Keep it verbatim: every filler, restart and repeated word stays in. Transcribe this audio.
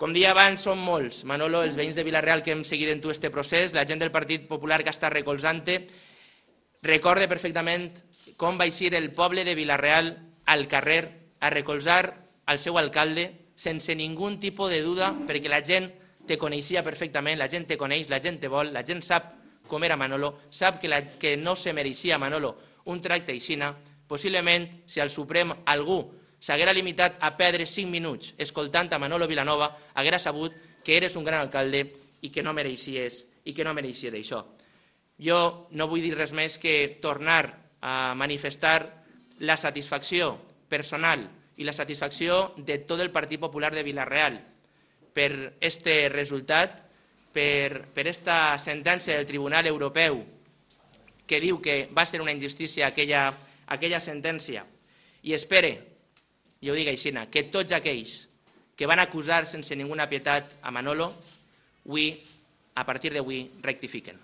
Com deia abans, són molts, Manolo, els veïns de Vila-real que hem seguit en tu este procés, la gent del Partit Popular que està recolzant-te. Recorde perfectament com va eixir el poble de Vila-real al carrer a recolzar al seu alcalde sense ningú tipus de duda, perquè la gent te coneixia perfectament, la gent te coneix, la gent te vol, la gent sap com era Manolo, sap que, la, que no se mereixia Manolo un tracte aixina. Possiblement, si al Suprem algú s'haguera limitat a perdre cinc minuts escoltant a Manolo Vilanova, haguera sabut que eres un gran alcalde i que no mereixies, i que no mereixies això. Jo no vull dir res més que tornar a manifestar la satisfacció personal i la satisfacció de tot el Partit Popular de Vila-real per este resultat, per, per esta sentència del Tribunal Europeu que diu que va ser una injustícia aquella, aquella sentència, i espere, jo ho dic així, que tots aquells que van acusar sense ninguna pietat a Manolo, avui, a partir d'avui, rectifiquen.